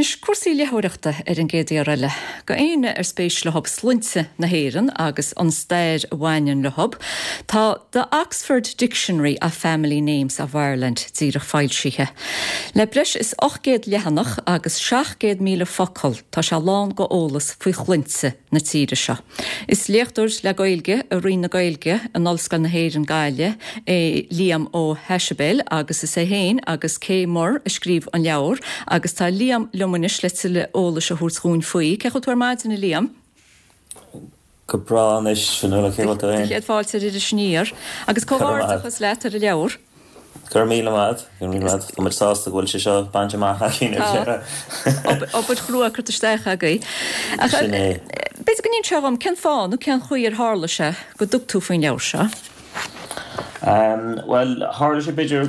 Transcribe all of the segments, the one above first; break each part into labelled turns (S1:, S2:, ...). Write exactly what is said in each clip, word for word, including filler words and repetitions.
S1: Anois cúrsaí léitheoireachta ar an gcéad iar eile. Go éinne ar spéis leo sloinnte na hÉireann agus an stair a bhaineann leo. Tá The Oxford Dictionary of Family Names of Ireland díreach foilsithe. Le breis is ocht gcéad leathanach agus seacht gcéad míle focal tá sé lán go eolas faoi shloinnte na tíre seo. Is léachtóir le Gaeilge i Roinn na Gaeilge in Ollscoil na hÉireann Gaillimh é Liam Ó hAisibéil agus is é féin agus Kay Muhr a scríobh an leabhar agus tá Liam liom anois le tuilleadh eolais a thabhairt dúinn faoi. Cén chaoi a bhfuil tú ar maidin Liam?
S2: Go breá anois Fionnuala cé
S1: féin. Céad fáilte ar Iris Aniar agus comhghairdeachas leat ar an leabhar.
S2: Gur míle maith gur míle maith Tá muid sásta go bhfuil sé seo bainte amach againn.
S1: Obair chrua curtha isteach agaibh.
S2: Sin é.
S1: B'fhéidir go n-inseofá dom cén fáth nó cén chaoi ar tharla sé go dtug tú faoin leabhar seo.
S2: Um, well tharla sé b'fhéidir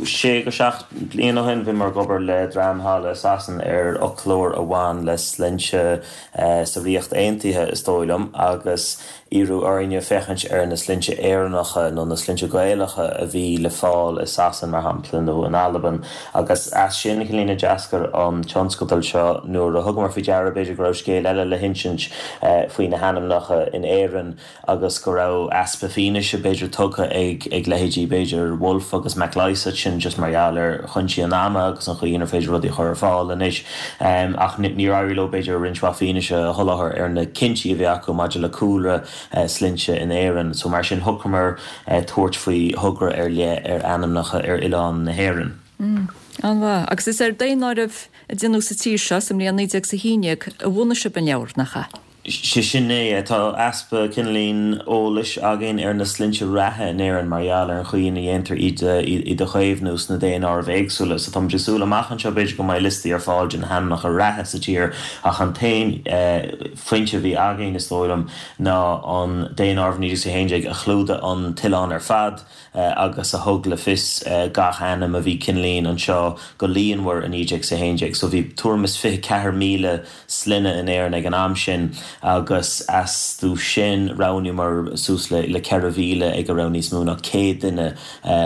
S2: sé go seacht bliain ó shin bhí mé ag obair le dream thall i Sasain ar fhoclóir a bhain le sloinnte uh, sa Ríocht Aontaithe is dóigh liom agus iarradh orainne féachaint ar na sloinnte Éireannacha nó na sloinnte Gaelacha a bhí le fáil i Sasain mar shampla nó in Albain agus as sin cineáilín a d'eascair an tionscadal seo nuair a thugamar faoi deara b'fhéidir go raibh scéal eile le hinsint uh, faoi na hainmneacha in Éirinn agus go raibh easpa fianaise b'fhéidir tugtha ag ag leithéidí b'fhéidir Wolf agus MacLysaght sin just mar gheall ar chúinsí an ama agus an chaoi inar féidir rudaí chur ar fáil anois um, ach níor éirigh leo b'fhéidir roinnt mhaith fianaise a sholáthar ar na cinntí a bhí acu maidir le cúlra uh, sloinnte in Éirinn, so mar sin shocraíomar uh, tabhairt faoi thogra ar leith ar ainmneacha ar oileán na hÉireann.
S1: Mm. An-mhaith agus is ar daonáireamh a déanadh sa tír seo sa mbliain naoi déag is a haon déag a bhunaigh sibh an leabhar nach ea.
S2: sé sin é tá easpa cineáilín eolais againn ar na sloinnte reatha in Éirinn mar gheall ar an chaoi ina dhéantar iad iad a chaomhnú sna daonáirimh éagsúla, so tá súil amach anseo b'fhéidir go mbeidh liostaí ar fáil de na hainmneacha reatha sa tír ach an t-aon foinse a bhí againn is dóigh liom ná an daonáireamh naoi déag haon déag a chlúdaigh an t-oileán ar fad agus a thug le fios gach ainm a bhí cineáilín anseo go líonmhar i naoi déag haon déag, so bhí tuairim is fiche ceathair míle sloinne in Éirinn ag an am sin agus astu sin roghnaíomar suas le le ceithre mhíle ag a raibh níos mó ná céad duine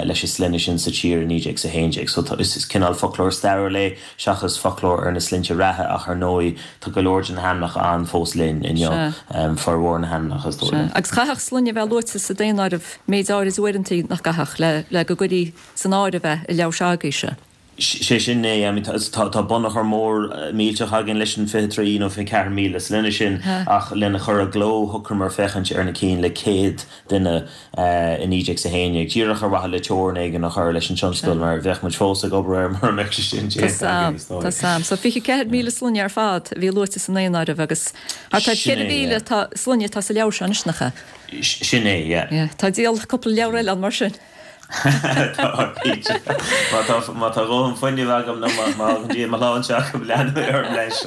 S2: leis an sloinne sin sa tír i naoi déag haon déag. So is is cineál foclóir stairiúil é seachas foclóir ar na sloinnte reatha ach ar ndóigh tá go leor de na hainmneacha ann fós linn inniu formhór na hainmneacha is dóigh.
S1: Agus chaithfeadh sloinne bheith luaite sa daonáireamh méid áirid uaireanta nach gcaithfeadh le le go gcuirí san áireamh é i leabhar s'agaibhse.
S2: sé sin é tá tá bunachar mór millteach againn leis an fiche trí nó fiche ceathair míle sloinne sin ach lena chur i gcló shocraíomar féachaint ar na cinn le céad duine i naoi déag haon déag. Díreach ar mhaithe le teorainn éigin a chur leis an tionscadal mar bheadh muid fós ag obair air mar mbeadh sé sin
S1: déanta Tá sam so fiche ceathair míle sloinne ar fad a bhí luaite san daonáireamh agus tá ceithre mhíle tá sloinne tá sa leabhar seo anois nach ea.
S2: Sin é, yeah.
S1: Tá díol cúpla leabhar eile ann mar sin.
S2: Má tá dóthain fuinnimh agam nó má dí má lá agam leanfaidh orm leis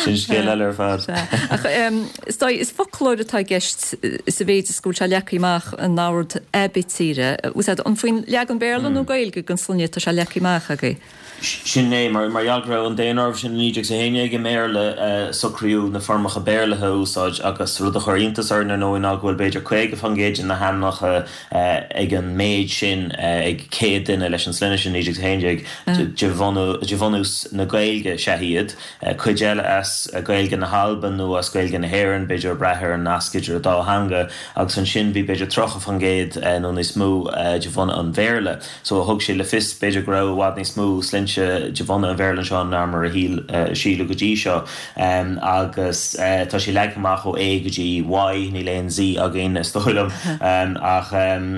S2: sin scéal eile ar fad.
S1: Ach is is foclóir atá i gceist sa mhéid is go bhfuil sé leagtha amach in ord aibítre. An faoin leagan Béarla nó Gaeilge den sloinne tá sé leagtha amach agaibh.
S2: Sin é mar mar gheall go raibh an daonáireamh sin naoi déag haon déag i mBéarla socraíodh na foirmeacha Béarlaithe a úsáid agus rud a chuir iontas orainn ar ndóigh ná go bhfuil b'fhéidir caoga faoin gcéad de na hainmneacha ag an méid sin ag céad duine leis an sloinne sin naoi déag haon déag de de bhunús na Gaeilge is ea iad, cuid eile as Gaeilge na hAlban nó as Gaeilge na hÉireann, b'fhéidir brath ar an nasc idir an dá theanga agus ansin bhí b'fhéidir tríocha faoin gcéad nó níos mó de bhunadh an Bhéarla. So thug sé le fios b'fhéidir go raibh i bhfad níos mó sloinnte de bhunadh an Bhéarla anseo ná mar a shíl síleadh go dtí seo agus tá sé leagtha amach ó A go dtí Y níl aon Z againn is dóigh liom ach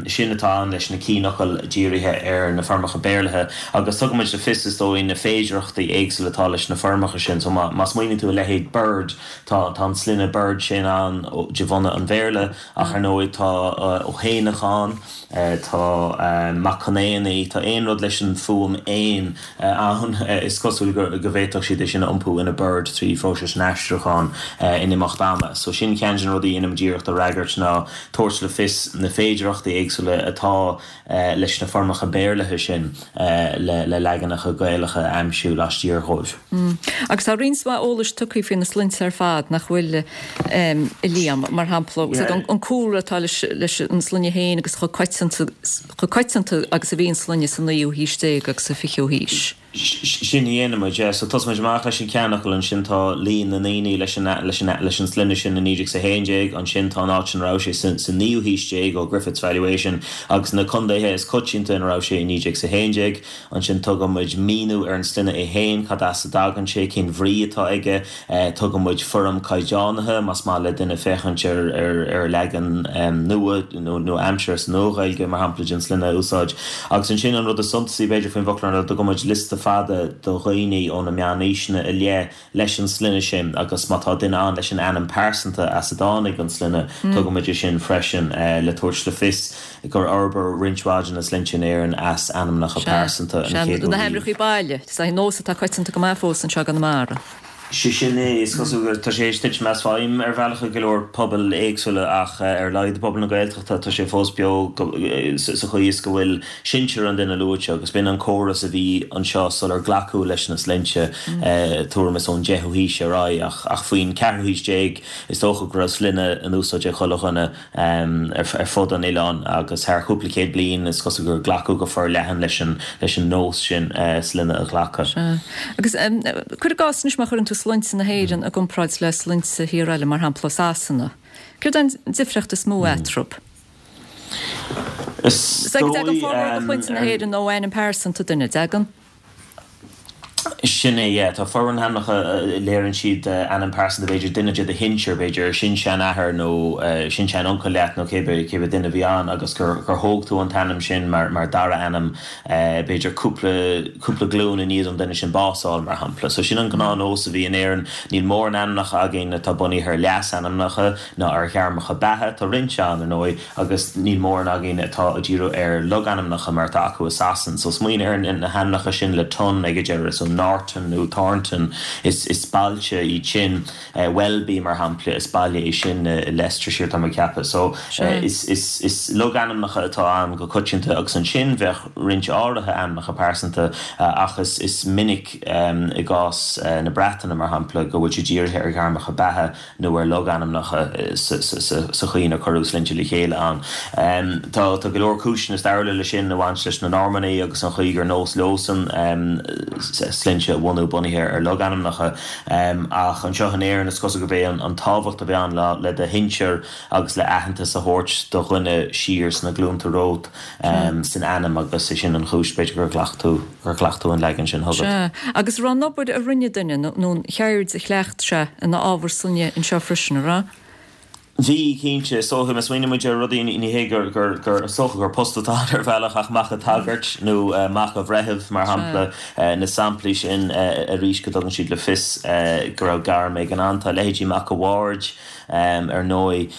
S2: sin atá ann leis na cinnfhocail dírithe ar na foirmeacha Béarlaithe agus tugaimid le fios is dóigh na féidearthachtaí éagsúla atá leis na foirmeacha sin so má má smaoiníonn tú a leithéid Bird tá tá an sloinne Bird sin ann de bhunadh an Bhéarla ach ar ndóigh tá Ó hÉanacháin tá Mac Con Éanaí tá aon rud leis an fuaim éan ann is cosúil go go bhféadfadh siad é sin a iompú ina Bird trí phróiseas an aistriúcháin in imeacht ama. So sin ceann de na rudaí a rinne muid iarracht a fhreagairt ná tabhairt le fios na féidearthachtaí éagsúla atá leis na foirmeacha Béarlaithe sin le le leaganacha Gaelacha a aimsiú laistiar dhóibh.
S1: Agus tá roinnt mhaith eolais tugtha faoi na sloinnte ar fad nach bhfuil a Liam mar shampla an cúlra atá leis leis an sloinne féin agus chomh coitianta chomh coitianta agus a bhí an sloinne sa naoú haois déag agus sa fichiú haois.
S2: Sin a dhéanaimid, yeah. So tosaímid amach leis an ceannfhocal, ansin tá líon na ndaoine leis an leis an leis an sloinne sin i naoi déag is a haon déag, ansin tá an áit ina raibh sé sa sa naoú haois déag ó Griffith's Valuation agus na contaetha is coitianta ina raibh sé i naoi déag is a haon déag. Ansin tugaimid míniú ar an sloinne é féin, cad as a dtagann sé, cén bhrí atá aige, tugaimid foirm caighdeánaithe más maith le duine féachaint ar ar ar leagan nua nó nó aimsire sa Nua-Ghaeilge mar shampla den sloinne a úsáid. Agus ansin an rud is suntasaí b'fhéidir faoin bhfoclóir ná tugaimid liosta fada de dhaoine ó na meánaoiseanna i leith leis an sloinne sin agus má tá duine ann leis an ainm pearsanta as a dtáinig an sloinne, tugaimid é sin freisin le tabhairt le fios gur fhorbair roinnt mhaith de na sloinnte in Éirinn as ainmneacha pearsanta an chéad uair.
S1: Na hainmneacha baile, is é nós atá coitianta go maith fós anseo i gConamara.
S2: Sé sin é, is cosúil gur tá sé tar éis titim as feidhm ar bhealach i go leor pobal éagsúla ach ar a laghad i bpobal na Gaeltachta tá sé fós beo sa chaoi is go bhfuil sinsear an duine luaite agus b'in an córas a bhí anseo sular glacadh leis na sloinnte tuairim is ón deichiú haois ar aghaidh ach ach faoin ceathrú haois déag is dócha go raibh sloinne in úsáid ag chuile dhuine ar fud an oileáin agus thar chúpla céad bliain is cosúil gur glacadh go forleathan leis an leis an nós sin sloinne a ghlacadh.
S1: Agus cuir i gcás anois má chuireann tú sloinnte na hÉireann i gcomparáid le sloinnte thír eile, mar shampla Sasana. Céard é an difríocht is mó eatarthu?
S2: Is
S1: dtagann formhór de shloinnte na hÉireann ó ainm pearsanta duine, dtagann?
S2: Sin é, yeah. Tá formhór na n-ainmneacha, léiríonn siad ainm pearsanta, b'fhéidir duine de do shinsir, b'fhéidir sin-seanathair nó sin-sean-uncail leat nó cébí cébí duine a bhí ann agus gur gur thóg tú an t-ainm sin mar mar dara ainm b'fhéidir cúpla cúpla glúin i ndiaidh don duine sin bás a fháil, mar shampla. So sin an gnáthnós a bhí in Éirinn. Níl mórán ainmneacha againn atá bunaithe ar leasainmneacha ná ar ghairmeacha beatha. Tá roinnt ann, ar ndóigh, agus níl mórán againn atá ag díriú ar logainmneacha mar atá acu i Sasain. So smaoinigh ar na hainmneacha sin le ton ag a deireadh, so Norton nó Thornton, is is bailte iad sin. Welby, mar shampla, is baile é sin i Leicestershire, tá mé ag ceapadh. So is is is logainmneacha atá ann go coitianta agus ansin bheadh roinnt áirithe ainmneacha pearsanta ach is is minic i gcás na Breataine, mar shampla, go bhfuil sé dírithe ar ghairmeacha beatha nó ar logainmneacha sa chaoi inar cuireadh sloinnte le chéile ann. Tá tá go leor cúiseanna stairiúla leis sin a bhain leis na Normannaigh agus an chaoi gur nós leosan sloinnte a bhunú bunaithe ar logainmneacha ach anseo in Éirinn is cosúil gurb é an tábhacht a bhí ann le do shinsir agus le aitheantas a thabhairt do dhuine siar sna glúnta romhat san ainm agus é sin an chúis b'fhéidir gur ghlac tú gur ghlac tú an leagan sin chugat.
S1: Sea. Agus an raibh an obair a rinne duine nó an cheird a chleacht sé ina ábhar sloinne anseo freisin, an raibh?
S2: Bhí, cinnte. Is dócha, má smaoiníonn muid ar rudaí, ní hé gur, gur, gur, is dócha gur post atá ann ar bhealach ach mac an tsagairt nó mac an bhreithimh, mar shampla, na samplaí sin arís go dtugann siad le fios go raibh gairm éigin ann. Tá leithéidí mac an bhaird, ar ndóigh,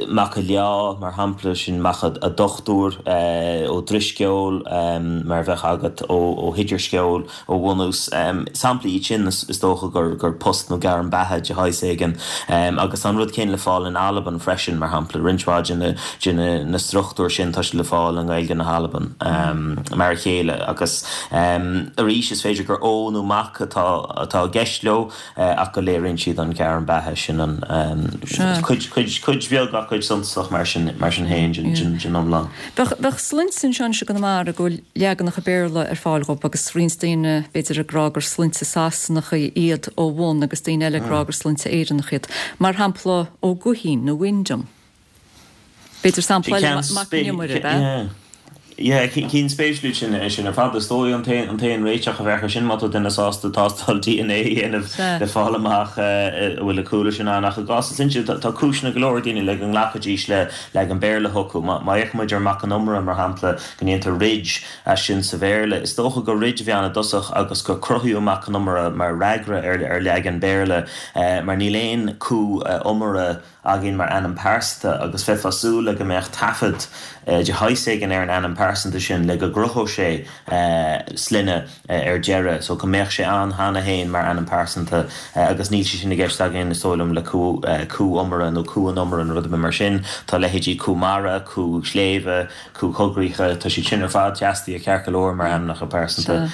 S2: mac an lia, mar shampla, sin mac an dochtúir ó Drisceoil, mar a bheadh agat ó hIdirsceol. Ó bhunús. Samplaí iad sin, is dócha, gur post nó gairm beatha de shaghas éigin. Agus tá an rud céanna le fáil in Albain freisin, mar shampla. Roinnt mhaith de na struchtúir sin, tá siad le fáil i nGaeilge na hAlban, mar a chéile. Agus arís, is féidir gur ó nó mac atá i gceist leo ach go léiríonn siad an ghairm beatha sin, an cuid, cuid bheag ach cuid suntasach mar sin féin den iomlán.
S1: Bheadh sloinnte anseo anois i gConamara go bhfuil leaganacha Béarla ar fáil dhóibh agus roinnt daoine b'fhéidir ag rá gur sloinnte Sasanacha iad ó bhun agus daoine eile ag rá gur sloinnte Éireannacha iad. Mar shampla Ó Guithín nó Wyndham. B'fhéidir sampla eile Mac an Iomaire, ab ea?
S2: Yeah, cinn spéisiúil sin é sin ar fad. Is dóigh an t-aon réiteach a bheadh air sin má tá duine sásta tástáil D N A a dhéanamh le fáil amach an bhfuil an cúlra sin ann. Ach i gcás na sloinnte, tá cúiseanna go leor ag daoine le go nglacfaidís le leagan Béarla chucu. Má fhéachann muid ar Mac an Iomaire, mar shampla, go ndéantar Ridge as sin sa Bhéarla, is dócha gur Ridge a bhí ann i dtosach agus gur cruthaíodh Mac an Iomaire mar fhreagra ar leagan Béarla mar níl aon Cú Iomaire againn mar ainm pearsanta agus bheifeá ag súil le go mbeadh taifead de shaghas éigin ar an ainm pearsanta sin le go gcruthódh sé sloinne ar deireadh so go mbeadh sé ann cheana féin mar ainm pearsanta agus níl sé sin i gceist againn is dóigh liom le Cú Cú Iomaire nó Cú an Iomaire nó rud ar bith mar sin. Tá leithéidí Cú Mara, Cú Sléibhe, Cú Coigríche, tá siad sin ar fad seastaithe ceart go leor mar ainmneacha pearsanta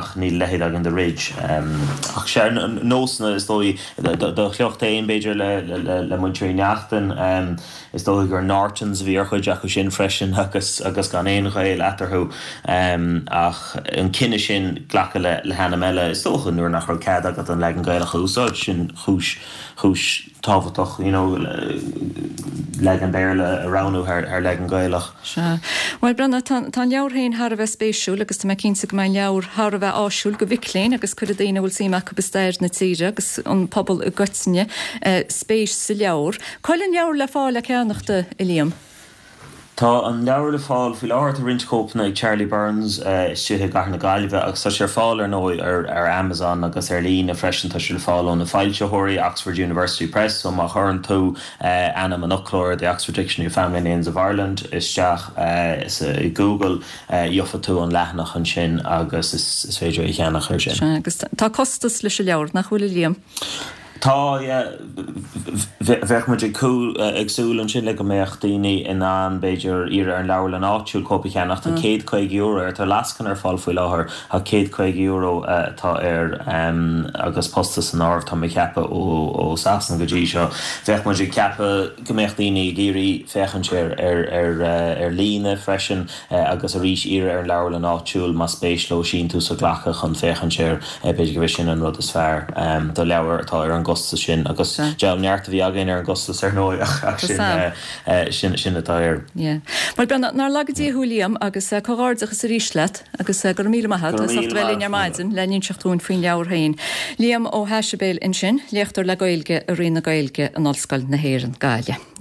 S2: ach níl a leithéid againn de Ridge. Ach sea, nósanna is dóigh Do shliocht féin, b'fhéidir, le muintir Uí Neachtain. Is dóigh gur Nortons a bhí ar chuid acu sin freisin agus agus gan aon aon ghaol eatarthu ach an cinneadh sin glacadh le le hainm eile is dócha nuair nach raibh cead agat an leagan Gaelach a úsáid sin chúis chúis tábhachtach you know leagan Béarla a roghnú thar thar leagan Gaelach.
S1: Sea. Bhuel Breandán tá tá an leabhar féin thar a bheith spéisiúil agus tá mé cinnte go mbeidh an leabhar thar a bheith áisiúil do mhic léinn agus cuirfidh daoine a bhfuil suim acu i stair na tíre agus an pobal i gcoitinne spéis sa leabhar. Cá bhfuil an leabhar le fáil le ceannacht, a Liam?
S2: Tá an leabhar le fáil faoi láthair, tá roinnt cóipeanna ag Charlie Byrne's istigh i gCathair na Gaillimhe agus tá sé ar fáil ar ndóigh ar ar Amazon agus ar líne freisin. Tá sé le fáil ó na foilsitheoirí, Oxford University Press, so má chuireann tú ainm an fhoclóra, The Oxford Dictionary of Family Names of Ireland, isteach sa i Google, gheobhaidh tú an leathanach ansin agus is is féidir é a cheannach ar sin.
S1: Sea, agus tá costas leis an leabhar, nach bhfuil a Liam?
S2: Tá, yeah. Bheadh muid ag ag súil ansin le go mbeadh daoine in ann, b'fhéidir, iarraidh ar an leabharlann áitiúil cóip a cheannach. Tá céad caoga euro air. Tá lascaine ar fáil faoi láthair ach céad caoga euro atá air agus postas san áireamh, tá mé ag ceapadh, ó Sasana go dtí seo. Bheadh muid ag ceapadh go mbeadh daoine ag iarraidh féachaint air ar ar líne freisin agus arís iarraidh ar an leabharlann áitiúil más spéis leo síntiús a ghlacadh chun féachaint air. B'fhéidir go b'é sin an rud is fearr do leabhar atá ar an gcostas sin agus deabhal neart a bhí againn ar an gcostas ar ndóigh ach sin sin sin atá air.
S1: Yeah. Bhuel Breandán, nár laga Dia thú Liam agus comhghairdeachas arís leat agus go raibh míle maith agat as ucht a bheith linn ar maidin le n-inseacht dúinn faoin leabhar féin. Liam Ó hAisibéil ansin, léachtóir le Gaeilge i Roinn na Gaeilge in Ollscoil na hÉireann, Gaillimh.